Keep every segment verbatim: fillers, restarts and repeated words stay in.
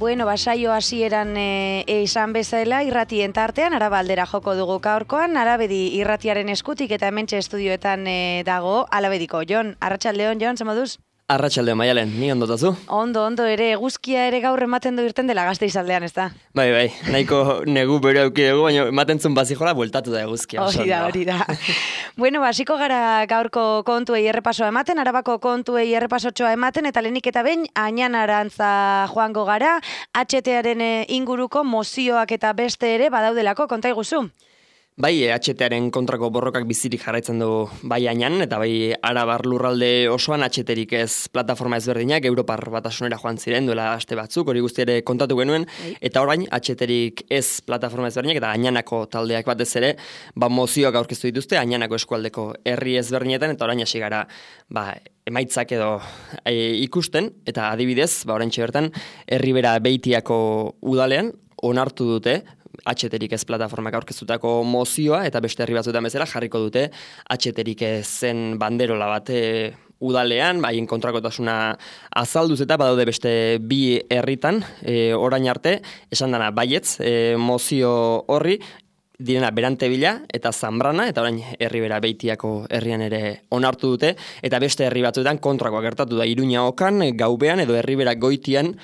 Bueno, basaio hasieran e, e, izan bezala irratien tartean Araba aldera joko dugu gaurkoan, Arabedi irratiaren eskutik eta hementxe estudioetan e, dago Alabediko. Jon, arratsaldeon, Jon, zer moduz? Arratsaldeon, Maialen, ni ondo tazu? Ondo, ondo, ere, eguzkia ere gaur ematen du irten dela Gasteiz aldean, ez da? Bai, bai, nahiko negu bere auki dugu, baina ematen zuen bazijola bueltatu da eguzkia. Hori da, hori da. Bueno, hasiko gara gaurko kontuei errepasoa ematen, Arabako kontuei errepasotxoa ematen, eta lehenik eta behin, Añanarantza joango gara, H T-aren inguruko mozioak eta beste ere badaudelako, konta iguzu? Bai, H T-aren kontrako borrokak bizirik jarraitzen du bai Añan, eta bai Arabar lurralde osoan H T-rik ez plataforma ezberdinak, Europar Batasunera joan ziren duela aste batzuk, hori guzti ere kontatu genuen, eta orain H T-rik ez plataforma ezberdinak, eta Añanako taldeak batez ere, ba mozioak aurkeztu dituzte, Añanako eskualdeko herri ezberdinetan, eta orain hasi gara, ba, emaitzak edo e, ikusten, eta adibidez, ba, orain bertan Herribera Beitiako udalean, onartu dute, H T-rik ez plataformak aurkeztutako mozioa eta beste herri batzuetan bezala jarriko dute H T-rik zen banderola bat e, udalean, haien kontrakotasuna azalduz eta badaude beste bi herritan e, orain arte, esan dana baietz e, mozio horri, direna Berantebila eta Zambrana, eta orain Herribera Beitiako herrian ere onartu dute, eta beste herri batzuetan kontrakoa gertatu da Iruña Okan, Gaubean edo Herribera Goitian,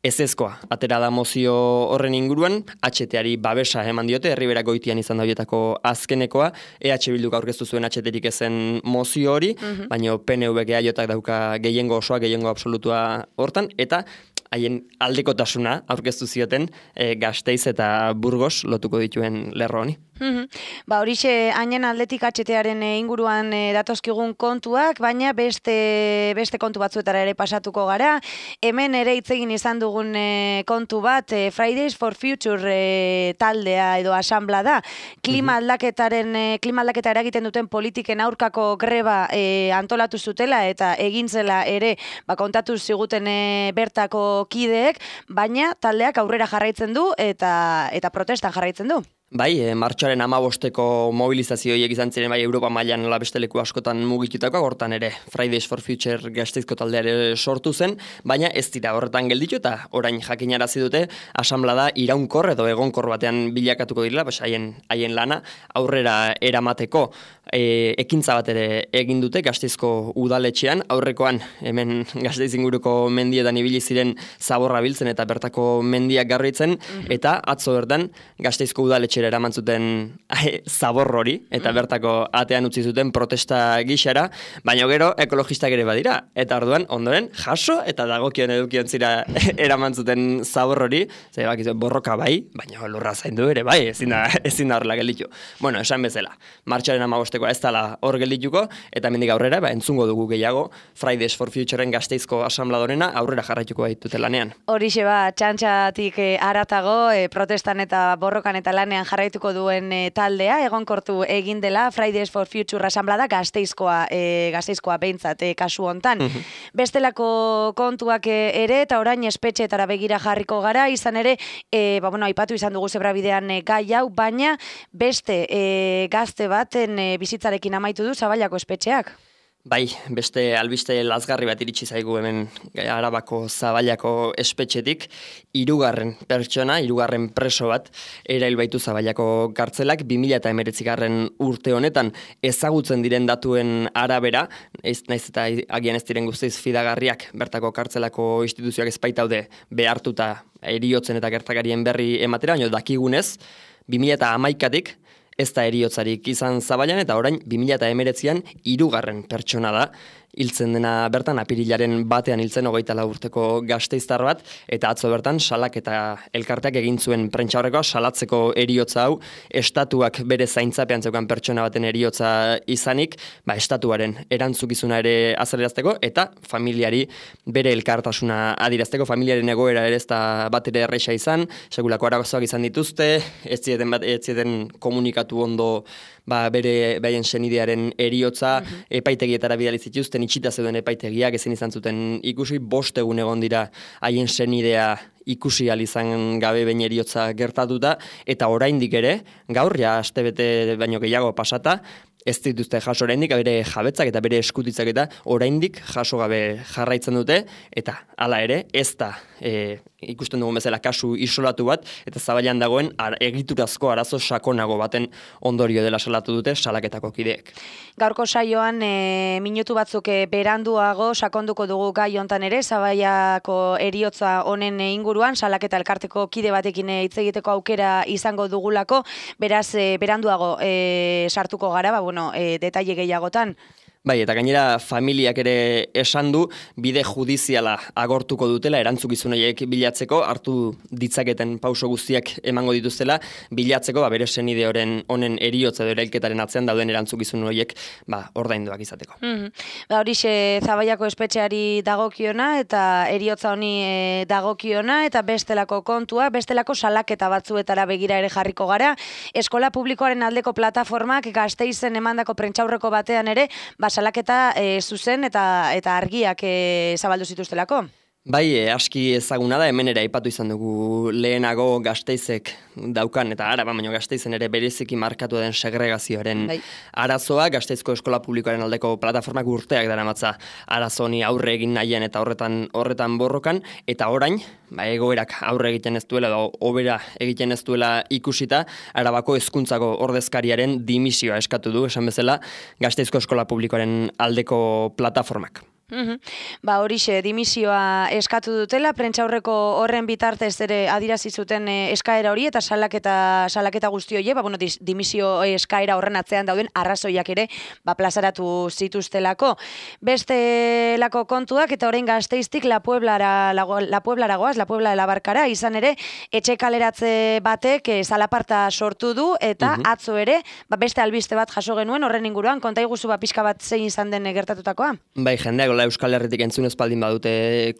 ezezkoa, atera da mozio horren inguruan, H T-ari babesa eman diote, Herribera Goitian izan da horietako azkenekoa, E H Bilduk aurkeztu zuen H T-rik ezen mozio hori, uh-huh. baina P N V Eaiotak dauka gehiengo osoa, gehiengo absolutua hortan, eta haien aldekotasuna aurkeztu zioten e, Gasteiz eta Burgos lotuko dituen lerro honi. Mm-hmm. Ba, horixe Añan aldetik H T-aren inguruan e, datozkigun kontuak, baina beste, beste kontu batzuetara ere pasatuko gara. Hemen ere hitz egin izan dugun e, kontu bat, e, Fridays for Future e, taldea edo asanbla da. Klima aldaketaren, e, klima aldaketa eragiten duten politiken aurkako greba e, antolatu zutela eta egin zela ere ba, kontatu ziguten e, bertako kideek, baina taldeak aurrera jarraitzen du eta, eta protestan jarraitzen du. Bai, e, martxoaren amabosteko mobilizazioiek izan ziren bai Europa mailan nola beste leku askotan mugitutakoa, hortan ere Fridays for Future Gasteizko taldeare sortu zen, baina ez dira horretan gelditu eta orain jakinarazi dute asanblada iraunkor edo egonkor batean bilakatuko direla, bas haien haien lana aurrera eramateko e, ekintza bat ere egin dute Gasteizko udaletxean, aurrekoan hemen Gasteiz inguruko mendietan ibili ziren zaborra biltzen eta bertako mendiak garbitzen, mm-hmm. eta atzo bertan Gasteizko udaletxe eraman zuten zabor hori, eta bertako atean utzi zuten protesta gixara, baina gero ekologistak ere badira, eta orduan ondoren jaso eta dagokion edukion zira eraman zuten zabor hori, ze bakizu, borroka bai, baina lurra zaindu ere bai, ezin da, ezin da horrela gelditu. Bueno, esan bezala, martxaren amabostekoa ez dela hor geldituko, eta mendik aurrera, ba, entzungo dugu gehiago, Fridays for Futureen Gasteizko asanbladorena aurrera jarraituko baitute lanean. Horixe ba, txantxatik e, aratago, e, protestan eta borrokan eta lanean jarraituko duen e, taldea, egonkortu egin dela Fridays for Future asanblada Gasteizkoa, e, Gasteizkoa behintzat e, kasu hontan. Uh-huh. Bestelako kontuak e, ere, eta orain espetxeetara begira jarriko gara, izan ere, e, ba, bueno, aipatu izan dugu zebrabidean e, gai hau, baina beste e, gazte baten e, bizitzarekin amaitu du Zaballako espetxeak. Bai, beste albiste lazgarri bat iritsi zaigu hemen Arabako Zaballako espetxetik, hirugarren pertsona, hirugarren preso bat erail baitu Zaballako kartzelak bi mila hemeretzigarren urte honetan ezagutzen diren datuen arabera, ez naiz eta agian ez diren guztiz fidagarriak bertako kartzelako instituzioak ez baitaude behartuta heriotzen eta gertakarien berri ematera, baina dakigunez bi mila hamaikatik ez da heriotzarik izan Zaballan eta orain bi mila hemeretzian hirugarren pertsona da. Hiltzen dena bertan, apirilaren batean hiltzen hogeita lau urteko gasteiztar bat, eta atzo bertan salak eta elkarteak egin zuen prentsaurrekoa salatzeko heriotza hau, estatuak bere zaintzapean zeukan pertsona baten heriotza izanik, ba, estatuaren erantzukizuna ere azalerazteko, eta familiari bere elkartasuna adirazteko, familiaren egoera ere ez da bat ere erresa izan, segulako arazoak izan dituzte, ez zieten, bat, ez zieten komunikatu ondo ba, bere behaien senidearen heriotza, uh-huh. epaitegietara bidali zituzten, itxita zeuden epaitegiak ezin izan zuten ikusi, bost egun egon dira haien senidea ikusi ahal izan gabe behin heriotza gertatuta, eta oraindik ere, gaur ja astebete baino gehiago pasata, ez dituzte jaso oraindik, bere jabetzak eta bere eskutitzak eta oraindik jaso gabe jarraitzen dute, eta hala ere, ez da e, ikusten dugun bezala kasu isolatu bat, eta zabailan dagoen ar, egiturazko arazo sakonago baten ondorio dela salatu dute salaketako kideek. Gaurko saioan e, minutu batzuk e, beranduago sakonduko dugu gai hontan ere, Zabaiako heriotza honen inguruan, salaketa elkarteko kide batekin hitz egiteko aukera izango dugulako, beraz e, beranduago e, sartuko gara, ba, bueno, e, detaile gehiagotan. Bai, eta gainera familiak ere esan du bide judiziala agortuko dutela erantzukizun horiek bilatzeko, hartu ditzaketen pauso guztiak emango dituztela bilatzeko, ba, bere senide honen eriotza edo erailketaren atzean dauden erantzukizun horiek ba, ordainduak izateko. Mm-hmm. Ba, horixe Zabaiako espetxeari dagokiona eta eriotza honi e, dagokiona eta bestelako kontua, bestelako salaketa batzuetara begira ere jarriko gara. Eskola publikoaren aldeko plataformak Gasteizen emandako prentsaurreko batean ere, ba, salaketa e, zuzen eta eta argiak e, zabaldu zituztelako. Bai, e, aski ezaguna da, hemen ere aipatu izan dugu lehenago Gasteizek daukan, eta Araba, baina Gasteizen ere bereziki markatu den segregazioaren bai. Arazoa, Gasteizko eskola publikoaren aldeko plataformak urteak daramatza arazoni aurre egin nahien eta horretan horretan borrokan, eta orain, ba, egoerak aurre egiten ez duela, edo hobera egiten ez duela ikusita, Arabako hezkuntzako ordezkariaren dimisioa eskatu du, esan bezala, Gasteizko eskola publikoaren aldeko plataformak. Uhum. Ba, horixe, dimisioa eskatu dutela, prentsaurreko horren bitartez ere adirazi zuten e, eskaera hori eta salaketa salaketa guzti horiek, ba, bueno, dimisio eskaera horren atzean dauden arrazoiak ere ba, plazaratu zituztelako. Bestelako kontuak eta orain Gasteiztik La Pueblara lago, La Pueblara goaz, La Puebla de la Barkara, izan ere etxe kaleratze batek e, zalaparta sortu du eta uhum. Atzo ere ba, beste albiste bat jaso genuen horren inguruan, konta iguzu ba, pixka bat zein izan den gertatutakoa? Bai, jendeak Euskal Herritik entzun espaldin badute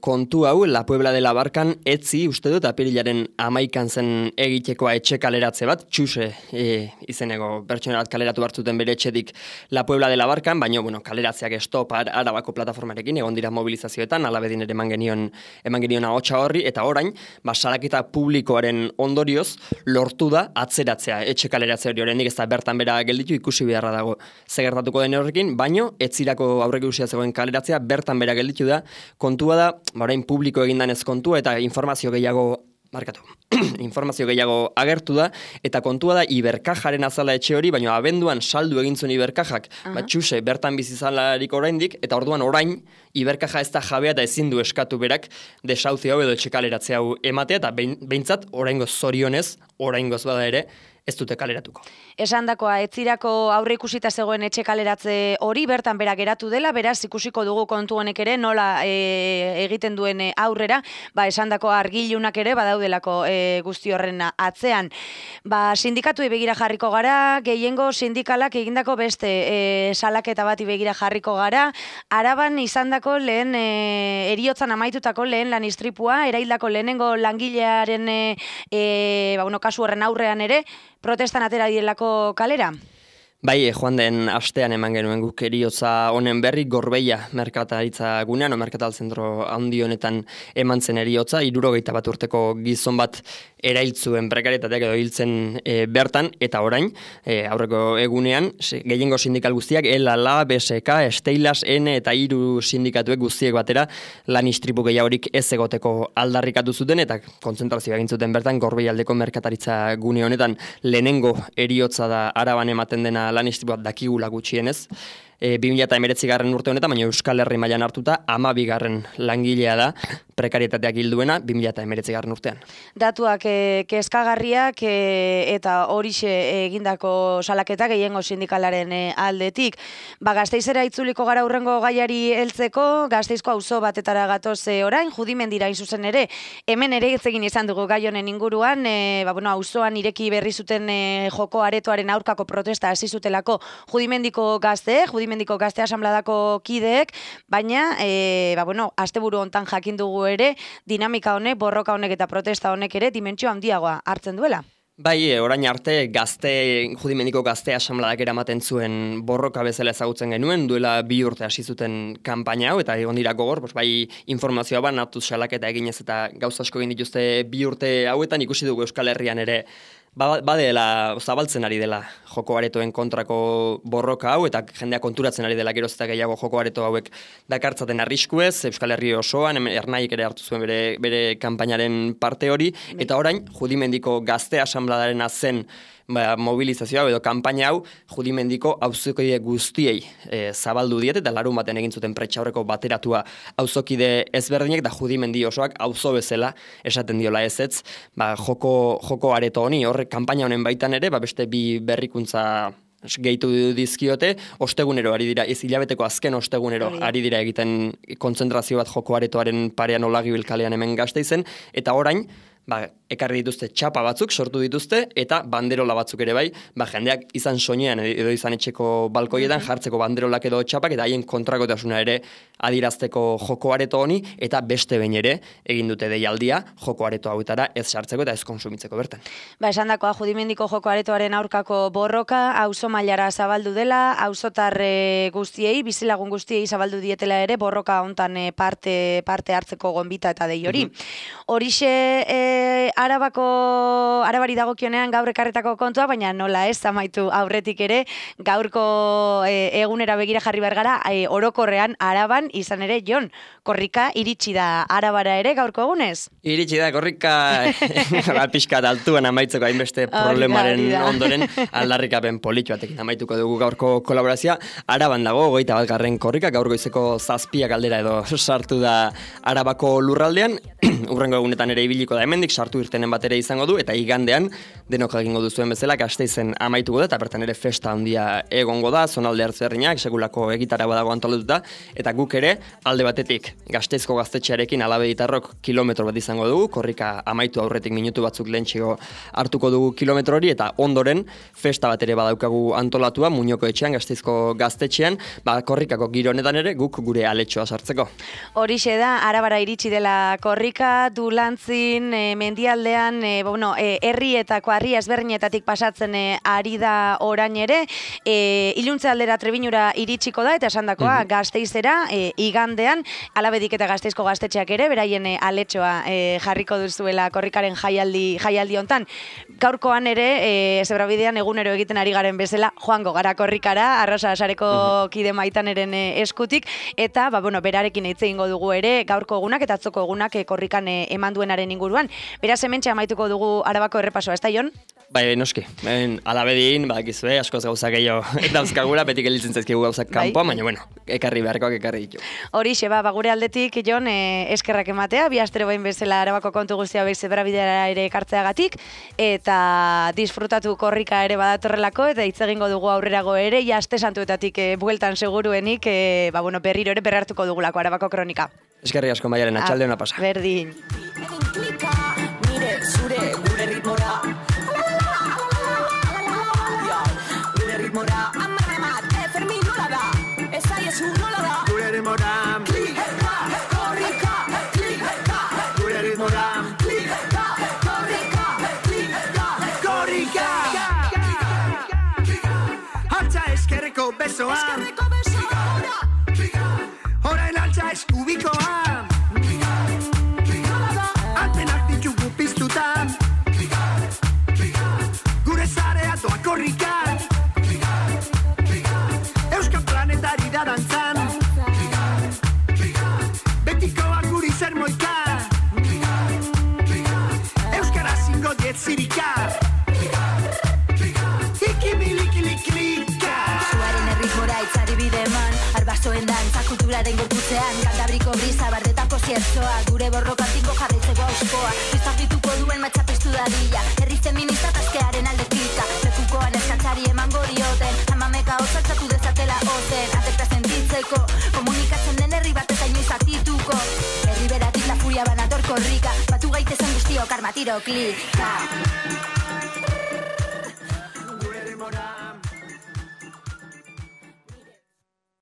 kontu hau, La Puebla de la Barkan etzi, uste dut, apirilaren amaikan zen egitekoa etxe kaleratze bat, txuse e, izeneko pertsona bat kaleratu hartzuten bere etxetik La Puebla de la Barkan, baina, bueno, kaleratzeak stop Arabako plataformarekin, egon dira mobilizazioetan, alabedin ere eman genion, eman genion ahotsa horri, eta orain, ba, salaketa publikoaren ondorioz, lortu da atzeratzea etxe kaleratze hori horrendik ez da bertan bera gelditu ikusi beharra dago zegertatuko den horrekin, baino, etzirako aurrek usia zegoen kaleratzea bertan bera gelditu da, kontua da, orain publiko egindanez kontua eta informazio gehiago markatu. informazio gehiago agertu da, eta kontua da Iberkajaren azala etxe hori, baina abenduan saldu egin zuen Iberkajak, uh-huh. bat txuse bertan bizizalarik oraindik, eta orduan orain Iberkaja ez da jabea eta ezin du eskatu berak desauzi hau edo etxekaleratze hau ematea, eta behintzat oraingoz zorionez, oraingoz bada ere, ez dute kaleratuko. Esandakoa, etzirako aurre ikusita zegoen etxe kaleratze hori bertan bera geratu dela, beraz ikusiko dugu kontu honek ere nola e, egiten duen aurrera, ba esandako argilunak ere badaudelako e, guzti horren atzean. Ba sindikatuei begira jarriko gara, gehiengo sindikalak egindako beste e, salaketa bati begira jarriko gara. Araban izandako lehen e, heriotzan amaitutako lehen lan istripua, eraildako lehenengo langilearen e, e, ba, bueno, kasu horren aurrean ere protestan atera direlako kalera? Bai, joan den astean eman genuen guk eriotza honen berri, Gorbeia merkataritza gunean, o merkatal zentro handi honetan eman zen eriotza, hirurogeita bat urteko gizon bat erailtzuen prekarietateak edo hiltzen e, bertan, eta orain, e, aurreko egunean, gehiengo sindikal guztiak, ELA, L A, B S K, Steilas, N eta hiru sindikatuek guztiek batera lan istripu gehiagorik ez egoteko aldarrikatu zuten, eta kontzentrazioa egin zuten bertan, Gorbeia aldeko merkataritza gune honetan lehenengo eriotza da Araban ematen dena lan istripuak dakigula gutxienez, e, bi mila hemeretzi garren urte honetan, baina Euskal Herri mailan hartuta hamabi garren langilea da prekarietateak hilduena bi mila hemeretzi garren urtean. Datuak e, kezkagarriak e, eta horixe egindako salaketa gehiengo sindikalaren e, aldetik. Ba, Gasteizera itzuliko gara hurrengo gaiari heltzeko, Gasteizko auzo batetara gatoz e, orain, Judimendira hain zuzen ere, hemen ere hitz egin izan dugu gai honen inguruan, e, ba, bueno, auzoan ireki berri zuten e, joko aretoaren aurkako protesta hasi zutelako Judimendiko gazte, Judimendiko gazte asanbladako kideek, baina, e, ba, bueno, asteburu hontan jakin dugu ere, dinamika honek, borroka honek eta protesta honek ere dimentsio handiagoa hartzen duela. Bai, orain arte gazte, Judimendiko gazte asanbladak eramaten zuen borroka bezala ezagutzen genuen, duela bi urte hasi zuten kanpaina hau, eta egon dira gogor, bai informazioa ban, hartuz salaketa eginez eta gauza asko egin dituzte bi urte hauetan, ikusi dugu Euskal Herrian ere ba, badela, zabaltzen ari dela joko aretoen kontrako borroka hau, eta jendea konturatzen ari dela geroz eta gehiago joko areto hauek dakartzaten arriskuez, Euskal Herri osoan, Ernaik ere hartu zuen bere, bere kanpainaren parte hori, eta orain, Judimendiko Gazte Asanbladarena zen ba, mobilizazioa edo kanpaina hau Judimendiko auzokide guztiei e, zabaldu diete, eta larun baten egin zuten pretxaurreko bateratua auzokide ezberdinek, da Judimendi osoak auzo bezala esaten diola ezetz, ba, joko, joko areto honi, hor kanpaina honen baitan ere, ba, beste bi berrikuntza gehitu dizkiote, ostegunero ari dira, ez hilabeteko azken ostegunero ari dira egiten kontzentrazio bat joko aretoaren parean Olagibil kalean hemen Gasteizen, eta orain, ba, ekarri dituzte txapa batzuk, sortu dituzte, eta banderola batzuk ere bai, ba, jendeak izan soinean edo izan etxeko balkoietan jartzeko banderolak edo txapak, eta haien kontrakotasuna ere adirazteko joko areto honi, eta beste behin ere egin dute deialdia joko areto hauetara ez sartzeko eta ez konsumitzeko bertan. Ba, esan dakoa, Judimendiko joko aretoaren aurkako borroka, auzo mailara zabaldu dela, auzotar guztiei, bizilagun guztiei zabaldu dietela ere, borroka hontan parte, parte hartzeko gonbita eta dei hori. Mm-hmm. Horixe, e, Arabako, Arabari dagokionean gaur ekarretako kontua, baina nola ez amaitu aurretik ere, gaurko e, egunera begira jarri behar gara, e, orokorrean Araban izan ere, Jon, korrika iritsi da Arabara ere gaurko egunez? Iritsi da, korrika pixkat altuan amaitzeko hainbeste problemaren ondoren aldarrikapen politxoatekin amaituko dugu gaurko kolaborazioa. Araban dago, goita bat garren korrika, gaur goizeko zazpiak aldera edo sartu da Arabako lurraldean, urrengo egunetan ere ibiliko da hemendik, sartu irtenen bat ere izango du, eta igandean denok egingo duzuen bezala Gasteizen amaituko da, eta bertan ere festa handia egongo da, zonalde hartzerriak, segulako egitara badago antolatuta, eta guk ere alde batetik Gasteizko gaztetxearekin Alabeditarrok kilometro bat izango dugu, korrika amaitu aurretik minutu batzuk lehentxego hartuko dugu kilometro hori, eta ondoren festa bat ere badaukagu antolatua, Muñoko etxean, Gasteizko gaztetxean, ba, korrikako giro honetan ere guk gure aletxoa sartzeko. Horixe da, Arabara iritsi dela korrika, Dulantzin, e, mendialdean, e, bueno, e, herrietako harri ezberdinetatik pasatzen e, ari da orain ere, e, iluntze aldera Trebinura iritsiko da, eta esandakoa mm-hmm. Gasteizera, e, igandean, Alabedik eta Gasteizko gaztetxeak ere, beraien e, aletxoa e, jarriko duzuela korrikaren jaialdi, jaialdi hontan. Gaurkoan ere, e, zebrabidean egunero egiten ari garen bezala, joango gara korrikara, Arrosa Sareko mm-hmm. kide maitaneren e, eskutik, eta, ba, bueno, berarekin hitz egingo dugu ere, gaurko egunak eta atzoko egunak e, korrikan e, eman duenaren inguruan. Beraz, hementxe amaituko dugu Arabako errepasoa, ez da, Jon? Bai, noski. Ben, Alabedin, badakizue, askoz gauza gehiago dauzkagura, betik elitzen zaizkigu gauzak kanpoa, bai. Baina, bueno, ekarri beharkoak ekarri ditu. Horixe, ba, gure aldetik, Jon, eh, eskerrak ematea, bi astero bain bezala Arabako kontu guztia behiz zebrabideara ere ekartzeagatik, eta disfrutatu korrika ere badatorrelako, eta hitz egingo dugu aurrerago ere, ja aste santuetatik eh, bueltan seguruenik, eh, ba, bueno, berriro ere berrartuko dugulako Arabako kronika. Eskerri asko Maialen, atxalde hona pasa. Berdin. Nire zure gure ritmora Gure ritmora Amar, amar, Fermin nola da Esaiezu nola da Gure ritmora Klika, korrika Klika, gure ritmora Klika, korrika Klika, korrika Altza eskerreko besoa Eskerreko besoa Horain altza eskubikoa Gure zarea doa korrika Euskal planetari da dantzan Betikoa guri zer moika Euskara zingo diet zirika Ikimilikiliklika Zuaren erritmora itzari bideman Arbasoen dantza kulturaren gorputzean Kantabriko brisa bardetako ziertzoa Gure borrokatiko jarraitzeko auskoa Biztafituko duen matxapestu dadila Herri feminista taskearen alde klika Lekukoan eskatzari eman gorioten Amameka otzaltzatu dezatela ozen Atekta sentitzeko Komunikatzen den herri bat eta inoiz aktituko Herri beratik la furia banator korrika Batu gaitezen guztiok armatiro klika